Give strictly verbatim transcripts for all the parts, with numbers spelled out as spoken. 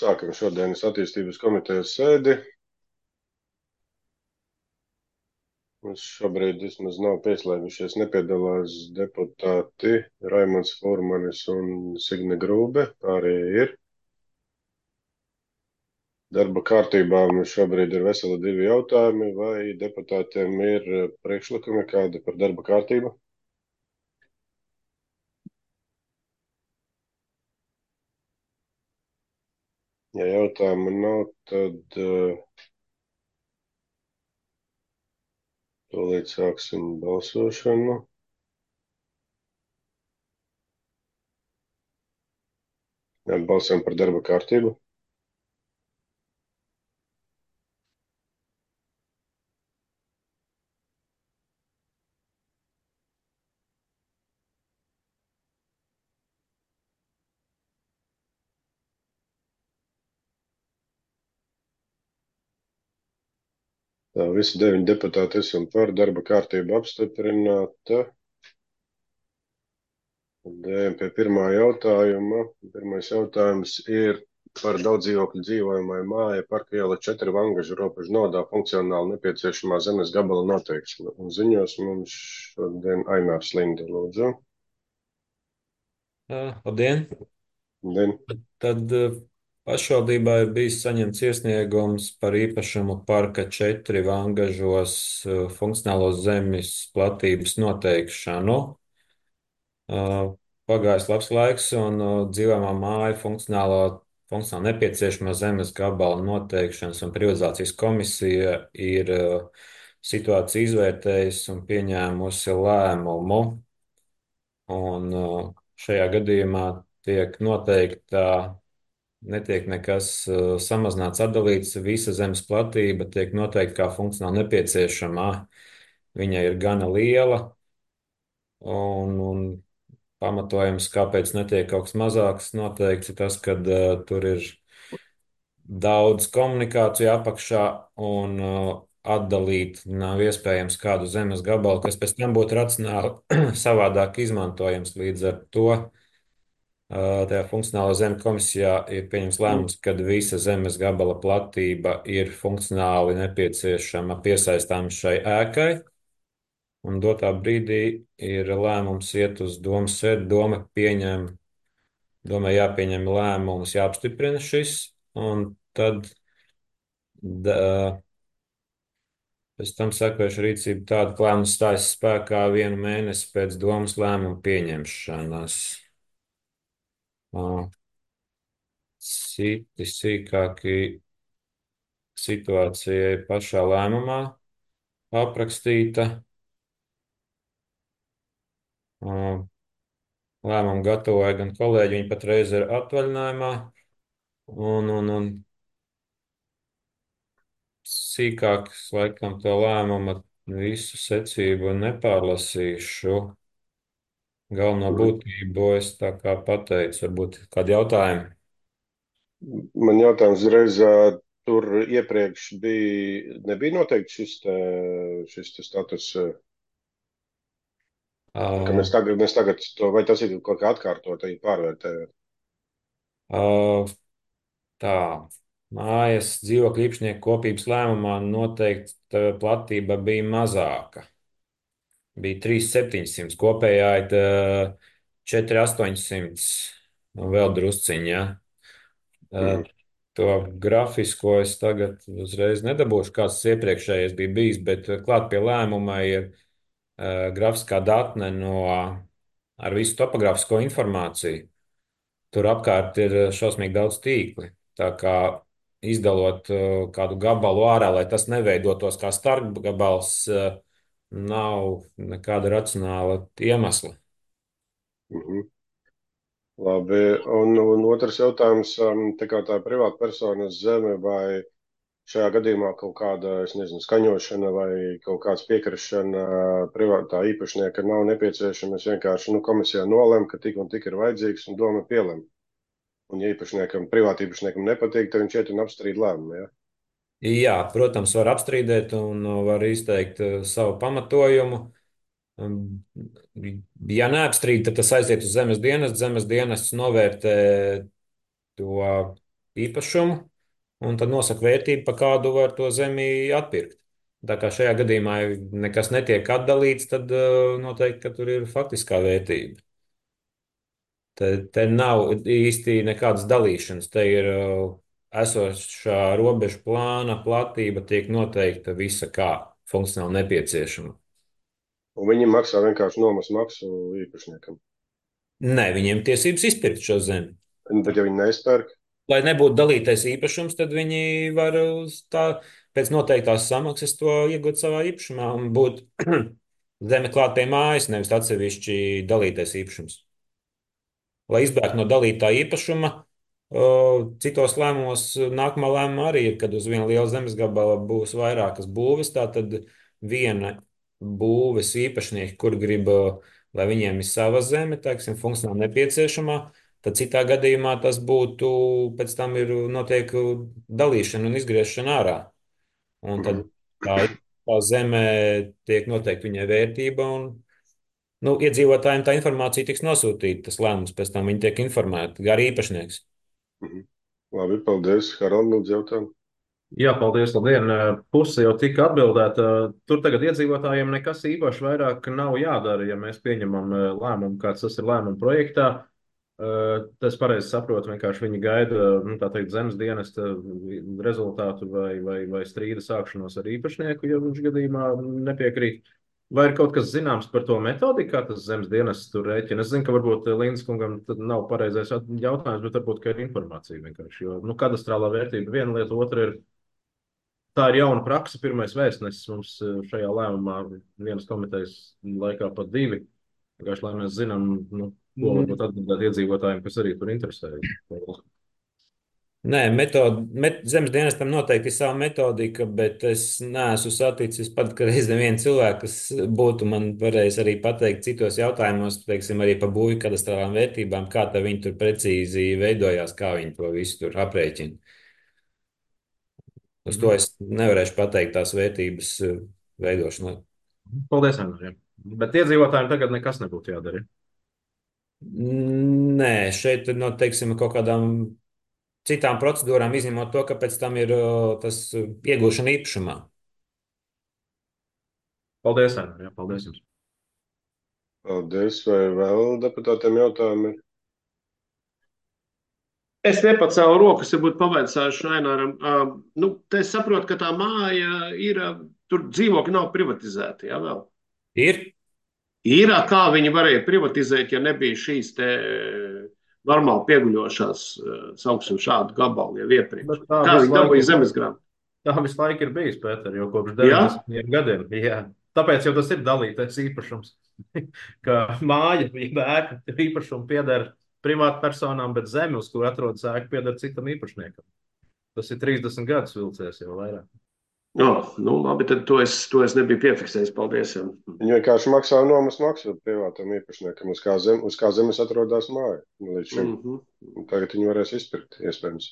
Sākam šodienas attīstības komitejas sēdi. Mums šobrīd vismaz nav pieslēgušies, nepiedalās deputāti Raimonds Furmanis un Signe Grūbe. Pārējie ir. Darba kārtībā mums šobrīd ir veseli divi jautājumi. Vai deputātiem ir priekšlikumi kādi par darba kārtību? Ja jautājumu nav, tad uh, tūlīt sāksim balsošanu. Jā, balsojam par darba kārtību. Tā, visi deviņi deputāti esam par darba kārtību apstiprināta. Ejam pie pirmā jautājuma. Pirmais jautājums ir par daudzdzīvokļu dzīvojamai māja Parka iela četri Vangažu robežu nodā funkcionāli nepieciešamā zemes gabala noteikšana. Un ziņos mums šodien Ainārs Linde, lūdzu. Uh, Labdien! Din. Tad uh, pašvaldībā ir bijis saņemts iesniegums par īpašumu parka četri Vangažos uh, funkcionālos zemes platības noteikšanu. Uh, Pagājis labs laiks un uh, dzīvojamā māja funkcionālo, funkcionāli nepieciešamā zemes gabala noteikšanas un privatizācijas komisija ir uh, situāciju izvērtējusi un pieņēmusi lēmumu. Un uh, šajā gadījumā tiek noteikta, netiek nekas uh, samazināts, atdalīts, visa zemes platība tiek noteikta kā funkcionāli nepieciešamā. Viņa ir gana liela, un, un pamatojums, kāpēc netiek kaut kas mazāks noteikts, ir tas, ka uh, tur ir daudz komunikāciju apakšā un uh, atdalīt nav iespējams kādu zemes gabalu, kas pēc tam būtu racionāli savādāk izmantojams. Līdz ar to uh, tajā funkcionālā zemes komisijā ir pieņems lēmums, ka visa zemes gabala platība ir funkcionāli nepieciešama piesaistām šai ēkai. Un dotā brīdī ir lēmums iet uz domas sēdi, doma pieņem, domai jāpieņem lēmums, jāapstiprina šis, un tad da, pēc tam sekojuša rīcība tāda, ka lēmums stājas spēkā vienu mēnesi pēc domas lēmuma pieņemšanas. Ā, Citi sīkāki situācija ir pašā lēmumā aprakstīta. Ā, Lēmumu gatavoja gan kolēģi, viņi patreiz ir atvaļinājumā, un, un, un sīkāk, laikam, to lēmumu visu secību nepārlasīšu. Galveno būtību es tā kā pateicu, varbūt kādi jautājumi. Man jautājums uzreiz, ā, tur iepriekš bija, nebija noteikti šis, te, šis te status, ā, ka Uh, mēs tagad, mēs tagad to, vai tas ir kaut kā atkārtot, vai pārvērtējot? uh, tā, mājas dzīvokļu īpašnieku kopības lēmumā noteikti platība bija mazāka. Bija trīs tūkstoši septiņsimt, kopējā ir uh, četri tūkstoši astoņsimt un vēl drusciņā. Ja? Uh, Mhm. To grafisko es tagad uzreiz nedabūšu, kāds tas iepriekšējais bija bijis, bet uh, klāt pie lēmuma ir uh, grafiskā datne no ar visu topografisko informāciju. Tur apkārt ir eh, šausmīgi daudz tīkli. Tā kā izdalot eh, kādu gabalu ārā, lai tas neveidotos kā starpgabals, eh, nav nekāda racionāla iemesla. Mhm. Labi, un, un otrs jautājums, um, tā kā tā privāta personas zeme vai šajā gadījumā kaut kāda, es nezinu, skaņošana vai kaut kāds piekrišana privātā īpašnieka nav nepieciešama. Es vienkārši, nu, komisijā nolem, ka tik un tik ir vajadzīgs un doma pielem. Un ja īpašniekam, privāta īpašniekam nepatīk, tad viņš iet un apstrīd lēmumu, ja? Jā, protams, var apstrīdēt un uh, var izteikt uh, savu pamatojumu. Um, Ja neapstrīd, tad tas aiziet uz zemes dienestu. Zemes dienests novērtē to īpašumu, un tad nosaka vērtību, pa kādu var to zemi atpirkt. Tā kā šajā gadījumā nekas netiek atdalīts, tad uh, noteikti, ka tur ir faktiskā vērtība. Te, te nav īsti nekādas dalīšanas. Te ir uh, esošā robežu plāna platība tiek noteikta visa kā funkcionāli nepieciešama. Un viņi maksā vienkārši nomas maksu īpašniekam. Nē, viņiem tiesības izpirkt šo zemi. Bet ja viņi neizpērk, Lai nebūtu dalītais īpašums, tad viņi var uz tā, pēc noteiktās samaksas to iegūt savā īpašumā un būt zeme klāt pie mājas, nevis atsevišķi dalītais īpašums. Lai izbēgtu no dalītā īpašuma, o, citos lēmumos nākamā lēmuma arī ir, kad uz viena liela zemes gabala būs vairākas būves, tā tad viena būves īpašnieki, kur grib, o, lai viņiem ir sava zeme, teiksim, funkcionāli nepieciešamā, tad citā gadījumā tas būtu, pēc tam ir notiek dalīšana un izgriešana ārā. Un tad mhm, tā, tā zeme tiek noteikti viņai vērtība un nu, iedzīvotājiem tā informācija tiks nosūtīta, tas lēmums pēc tam viņi tiek informēti, kā arī īpašnieks. mhm. Labi, paldies. Harald, lūdzu jautājumu. Jā, paldies. Labdien. Puse jau tika atbildēta. Tur tagad iedzīvotājiem nekas īpaši vairāk nav jādara, ja mēs pieņemam eh, lēmumu, kāds tas ir lēmuma projektā. Eh, Tas pareizi saprotu, vienkārši viņi gaida, nu, tā teikt, zemes dienesta rezultātu vai, vai, vai strīda sākšanos ar īpašnieku, ja viņš gadījumā nepiekrīt. Vai ir kaut kas zināms par to metodiku, kā tas zemes dienests tur rēķina? Es zinu, ka varbūt Līnas kungam tad nav pareizais at- jautājums, bet varbūt, ka ir informācija vienkārši. Jo, nu, kadastrālā vērtība viena lieta, otra ir. Tā ir jauna praksa. Pirmais vēstnesis mums eh, šajā lēmumā, vienas komitejas laikā pat divi. Vienkārši, lai mēs zinām, nu, ko varbūt atbildēt iedzīvotājiem, kas arī tur interesējas. Nē, metod, met, zemes dienestam noteikti ir sava metodika, bet es neesmu saticis pat reiz nevienu cilvēku, kas būtu man varējis arī pateikt citos jautājumos, teiksim, arī par būvju kadastrālām vērtībām, kā tā viņi tur precīzi veidojās, kā viņi to visu tur aprēķina. Uz to Mhm. es nevarēšu pateikt tās vērtības eh, veidošanai. Paldies, Andrija. Bet iedzīvotājiem tagad nekas nebūtu jādara. Nē, šeit ir no, teiksim, kaut kādām citām procedūrām, izņemot to, ka pēc tam ir o, tas o, iegūšana īpašumā. Paldies, Andrija. Paldies jums. Paldies. Vai vēl deputātiem jautājumi? Es nepacēlu rokas, ja būtu pavaicājuši Raināram. Uh, nu, te es saprotu, ka tā māja ir, uh, tur dzīvokļi nav privatizēti, jā, vēl. Ir? Ir, uh, kā viņi varēja privatizēt, ja nebija šīs te uh, normāli pieguļošās, uh, sauksim šādu gabalu jau iepriekš. Bet tā Kā visu viņi laiku dabūja ir. zemesgrāmatu? Tā visu laiku ir bijis, Pēter, jau kopš Jā? deviņdesmitiem gadiem. Jā. Tāpēc jau tas ir dalītais īpašums. Ka māja, ja ēka īpašumu pieder privātpersonām, bet zeme, uz kur atrodas ēka, pieder citam īpašniekam. Tas ir trīsdesmit gadus vilcies jau vairāk. No, nu, labi, tad to es, to es nebiju piefiksējis. Paldies. Jā. Viņi vienkārši maksā nomas maksu privātam īpašniekam, uz kā, zem, uz kā zemes atrodas māja līdz šim. Mm -hmm. Un tagad viņi varēs izpirkt, iespējams.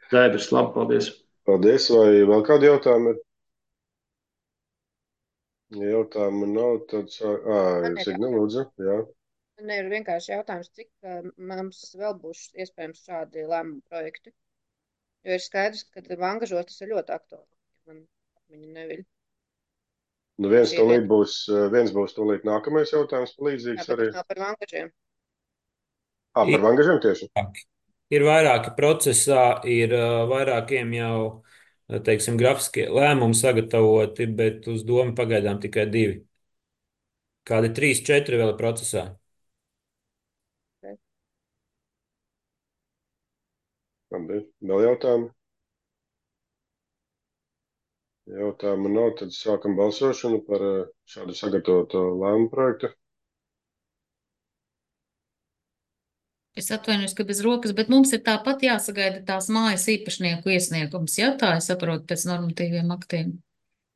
Skaidrs, labi, paldies. Paldies. Vai vēl kādi jautājumi ir? Ja jautājumu nav, tad sā... Ā, Man ir Signe, jautājums. lūdzu. Jā. Man ir vienkārši jautājums, cik uh, mums vēl būs iespējams šādi lēmumu projekti. Jo ir skaidrs, ka Vangažos tas ir ļoti aktuāli. Man viņa neviļ. Nu viens Šī tūlīt vieta. būs, viens būs tūlīt nākamais jautājums, Jā, līdzīgs bet arī. tas nav par Vangažiem. Ā, par vangažiem tieši? Ir vairāki procesā, ir uh, vairākiem jau, uh, teiksim, grafiskie lēmumi sagatavoti, bet uz domu pagaidām tikai divi. Kādi trīs, četri vēl ir procesā. Labi, vēl jautājumi? Ja jautājumu nav, tad sākam balsošanu par eh, šādu sagatavoto lēmumu projektu. Es atvainojos, ka bez rokas, bet mums ir tāpat jāsagaida tās mājas īpašnieku iesniegums. Jā, tā es saprotu pēc normatīviem aktiem.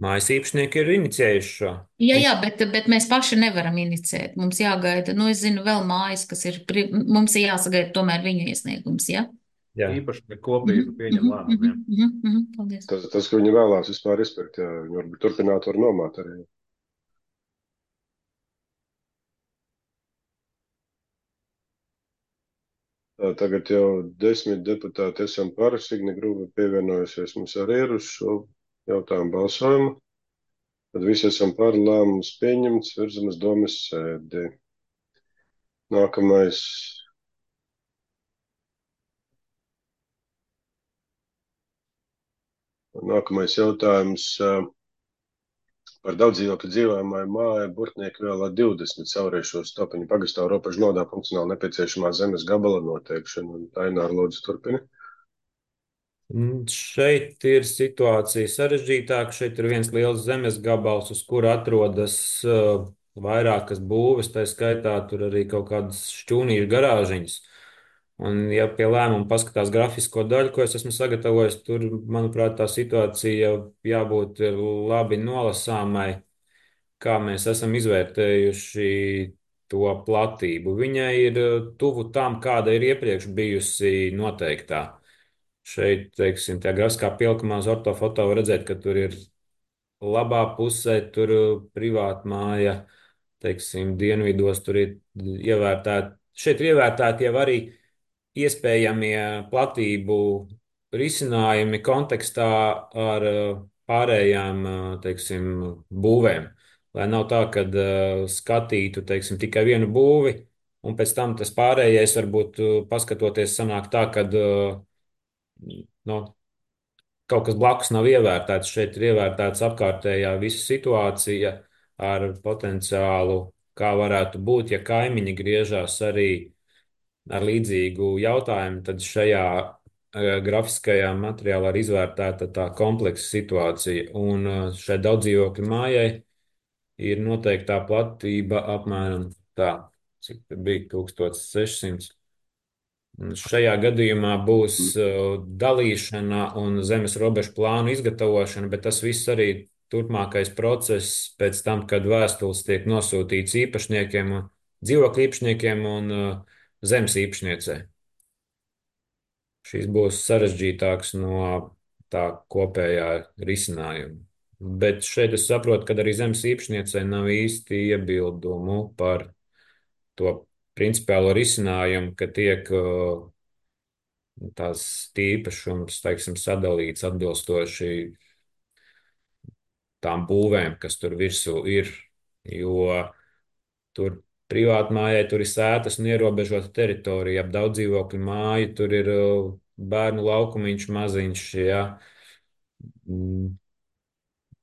Mājas īpašnieki ir inicijējuši šo. Jā, jā, bet, bet mēs paši nevaram inicēt. Mums jāgaida, nu, es zinu, vēl mājas, kas ir, pri- mums ir jāsagaida tomēr viņu iesniegums, jā? Jā. Īpaši kopīgi pieņem Mhm, lēmumu. jā. mhm, mhm, mhm, Paldies. Tas, tas, ka viņi vēlās vispār izpirkt, jā, viņi varbūt turpināt var nomāt arī. tagad jau desmit deputāti esam par, Signe Grūva pievienojusies mums arī ir uz šo jautājumu balsojumu. Tad visi esam par, lēmums pieņemts, virzam uz domas sēdi. Nākamais. Nākamais jautājums par daudzdzīvokļu dzīvojamāju māju Burtnieku vielā divdesmit Sauriešu Stopiņu pagastā robežu nodā funkcionāli nepieciešamā zemes gabala noteikšana. Aināra, lūdzu, turpini. Šeit ir situācija sarežģītāka. Šeit ir viens liels zemes gabals, uz kura atrodas uh, vairākas būves, tā skaitā tur arī kaut kādas šķūnīšu garāžiņas. Un, ja pie lēmuma paskatās grafisko daļu, ko es esmu sagatavojis, tur, manuprāt, tā situācija jābūt labi nolasāmai, kā mēs esam izvērtējuši to platību. Viņai ir tuvu tam, kāda ir iepriekš bijusi noteiktā. Šeit, teiksim, tā grafiskā pilkumā uz ortofoto var redzēt, ka tur ir labā pusē, tur privāta māja, teiksim, dienvidos tur ir ievērtēta. Šeit ir ievērtēti jau arī iespējamie platību risinājumi kontekstā ar pārējām, teiksim, būvēm. Lai nav tā, ka skatītu, teiksim, tikai vienu būvi, un pēc tam tas pārējais varbūt paskatoties sanāk tā, ka nu, kaut kas blakus nav ievērtēts. Šeit ir ievērtēts apkārtējā visa situācija ar potenciālu, kā varētu būt, ja kaimiņi griežās arī ar līdzīgu jautājumu, tad šajā grafiskajā materiālā ir izvērtēta tā kompleksa situācija. Un šai daudzdzīvokļu mājai ir noteiktā platība apmēram tā, cik tur bija tūkstoš sešsimts. Šajā gadījumā būs dalīšana un zemes robežu plānu izgatavošana, bet tas viss arī turpmākais process pēc tam, kad vēstules tiek nosūtīts īpašniekiem, dzīvokļu īpašniekiem un zemes īpašniecei. Šis būs sarežģītāks no tā kopējā risinājuma. Bet šeit es saprotu, ka arī zemes īpašniecei nav īsti iebildumu par to principiālo risinājumu, ka tiek tās īpašums, teiksim, sadalīts atbilstoši tām būvēm, kas tur virsū ir, jo tur privātmājai tur ir sētas un ierobežota teritorija, ap daudz dzīvokļu māju, tur ir bērnu laukumiņš maziņš, ja.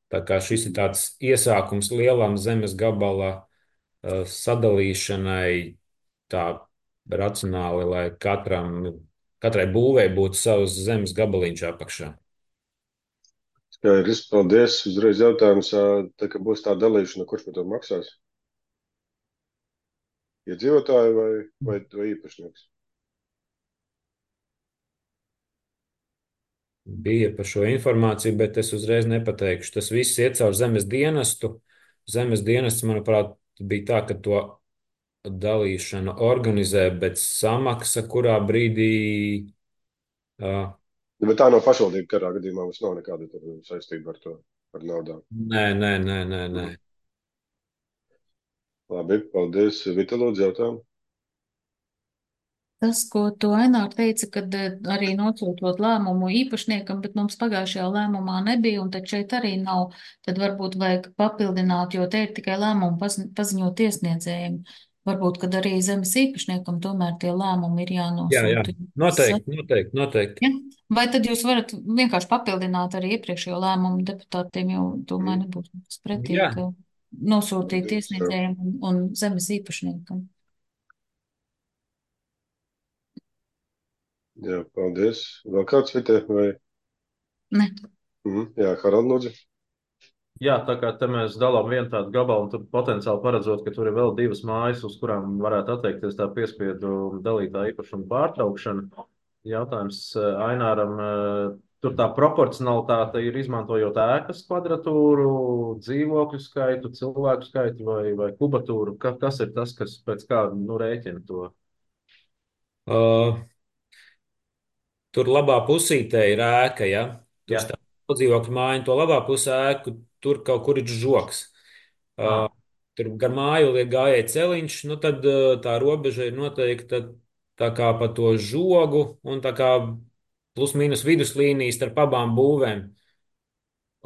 Tā kā šis ir tāds iesākums lielam zemes gabala sadalīšanai tā racionāli, lai katram, katrai būvei būtu savs zemes gabaliņš apakšā. Skaidrs, paldies. Uzreiz jautājums, tā kā būs tā dalīšana, kurš par to maksās? Iedzīvotāji vai, vai, vai īpašnieks? Bija par šo informāciju, bet es uzreiz nepateikšu. Tas viss iet caur zemes dienestu. Zemes dienests, manuprāt, bija tā, ka to dalīšanu organizē, bet samaksa kurā brīdī. Uh, bet tā nav pašvaldība karā gadījumā, mums nav nekāda saistība ar to, ar naudām. Nē, nē, nē, nē, nē. Labi, paldies. Vita, lūdzu, jautājumu. Tas, ko tu Ainār teica, kad arī nosūtot lēmumu īpašniekam, bet mums pagājušajā lēmumā nebija, un tad šeit arī nav, tad varbūt vajag papildināt, jo te ir tikai lēmumu paziņot iesniedzējiem. Varbūt, kad arī zemes īpašniekam tomēr tie lēmumi ir jānosūta. Jā, jā, noteikti, noteikti, noteikti. Ja? Vai tad jūs varat vienkārši papildināt arī iepriekšējo lēmumu deputātiem, jo domāju nebūs nekas pretī, Jā. ka nosūtīt iesniedzējiem un, un zemes īpašniekam. Jā, paldies. Vēl kāds, Vite, vai? Ne. Mhm. Jā, Harald, lūdzu. Jā, tā kā te mēs dalām vienu tādu gabalu, un tur potenciāli paredzot, ka tur ir vēl divas mājas, uz kurām varētu atteikties tā piespiedu dalītā īpašuma pārtraukšana. Jautājums Aināram, tur tā proporcionalitāte ir izmantojot ēkas kvadratūru, dzīvokļu skaitu, cilvēku skaitu vai, vai kubatūru. Ka, kas ir tas, kas pēc kā nu, rēķina to? Uh, tur labā pusītē ir ēka, ja? Tur stāv dzīvokļu māja, to labā pusē ēku, tur kaut kur ir žoks. Uh, tur gar māju liek gājēji celiņš, nu tad uh, tā robeža ir noteikta tā kā pa to žogu un tā kā plus mīnus viduslīnijas starp abām būvēm.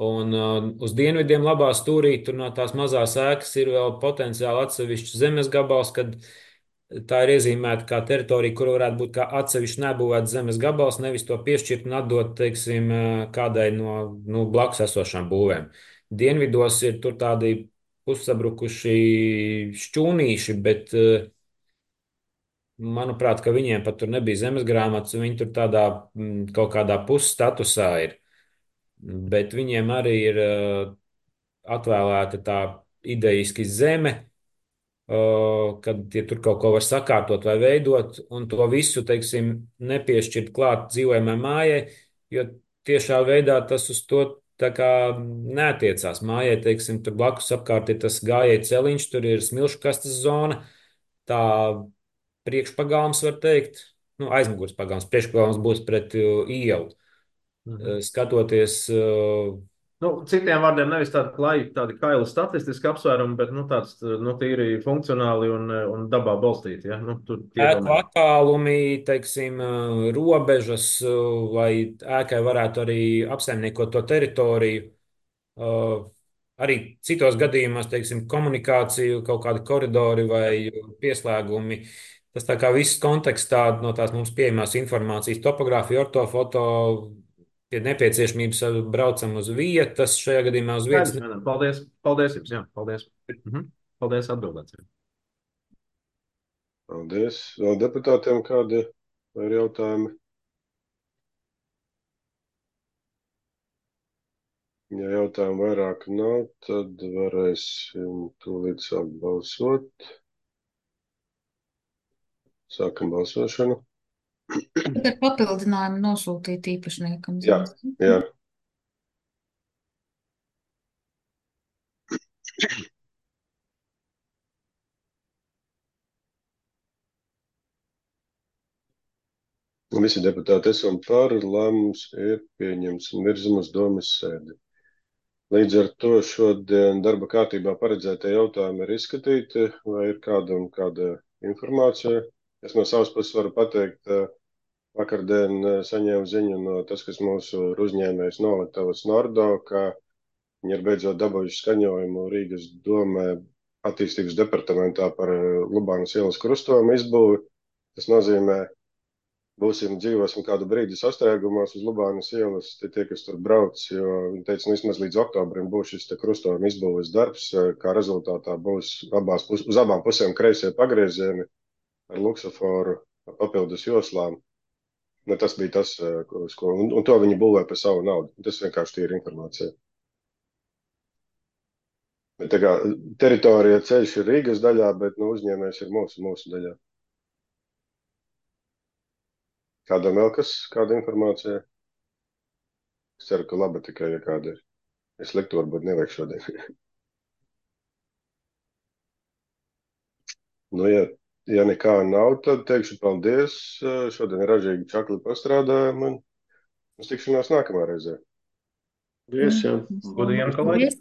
Un uh, uz dienvidiem labā stūrī tur no tās mazās ēkas ir vēl potenciāli atsevišķs zemes gabals, kad tā ir iezīmēta kā teritorija, kur varētu būt kā atsevišķi nebūvēts zemes gabals, nevis to piešķirt un atdot, teiksim, uh, kādai no nu, blakus esošām būvēm. Dienvidos ir tur tādi pussabrukuši šķūnīši, bet uh, manuprāt, ka viņiem pat tur nebija zemes grāmatas, un viņi tur tādā mm, kaut kādā pusstatusā ir. Bet viņiem arī ir uh, atvēlēta tā idejiski zeme, uh, kad ja tur kaut ko var sakārtot vai veidot, un to visu, teiksim, nepiešķirt klāt dzīvojamai mājai, jo tiešā veidā tas uz to tā kā neatiecās. Mājai, teiksim, tur blakus apkārt ir tas gājēji celiņš, tur ir smilšu kastes zona, tā priekšpagalms, var teikt, nu, aizmugures pagalms, priekšpagalms būs pret uh, ielu. Mhm. Uh, skatoties, uh, Nu, citiem vārdiem nevis tādi klāji, tādi kaili statistiski apsvērumi, bet nu, tāds nu, tīri funkcionāli un, un dabā balstīti. Ja? Nu, tur tie ēku domē. attālumi, teiksim, uh, robežas, uh, lai ēkai varētu arī apsaimniekot to teritoriju. Uh, Arī citos gadījumos, teiksim, komunikāciju, kaut kādi koridori vai pieslēgumi. Tas tā kā viss kontekstā no tās mums pieejamās informācijas, topogrāfija, ortofoto, pie nepieciešamības braucam uz vietas, šajā gadījumā uz vietas. Skaidrs, Mēnam. Paldies, paldies jums, jā, paldies. Mhm. Paldies atbildēt. Paldies. Vēl deputātiem kādi ir jautājumi? Ja jautājumu vairāk nav, tad varēsim tūlīt sākt balsot. Sākam balsošanu. Tad ar papildinājumu nosūtīt īpašniekam. Jā, jā. Visi deputāti esam par, lēmums ir pieņemts un virzam uz domas sēdi. Līdz ar to šodien darba kārtībā paredzētie jautājumi ir izskatīti, vai ir kādam kāda informācija. Es no savas puses varu pateikt, vakardien saņēmu ziņu no tas, kas mūsu uzņēmējs Noliktavas Nordo, ka viņi ir beidzot dabūjuši skaņojumu Rīgas domē attīstības departamentā par Lubānas ielas krustojumu izbūvi. Tas nozīmē, būsim dzīvosim kādu brīdi sastrēgumos uz Lubānas ielas, tie, tie kas tur brauc, jo viņi teica, nu vismaz līdz oktobrim būs šis te krustojuma izbūves darbs, kā rezultātā būs abās pus, uz abām pusēm kreisie pagriezieni ar luksuforu papildus joslām. Ne, tas bija tas, uz ko, un, un to viņi būvē par savu naudu. Tas vienkārši tīri informācija. Bet tā kā teritorija ceļš ir Rīgas daļā, bet nu, uzņēmējs ir mūsu, mūsu daļā. Kādam vēl kas, kāda informācija? Es ceru, ka laba tikai, ja kāda ir. Es sliktu varbūt nevajag šodien. Nu, ja, ja nekā nav, tad teikšu paldies. Šodien ražīgi čakli pastrādājām un uz tikšanās nākamā reizē. Paldies, jā. Godīgi, kolēģi. Paldies.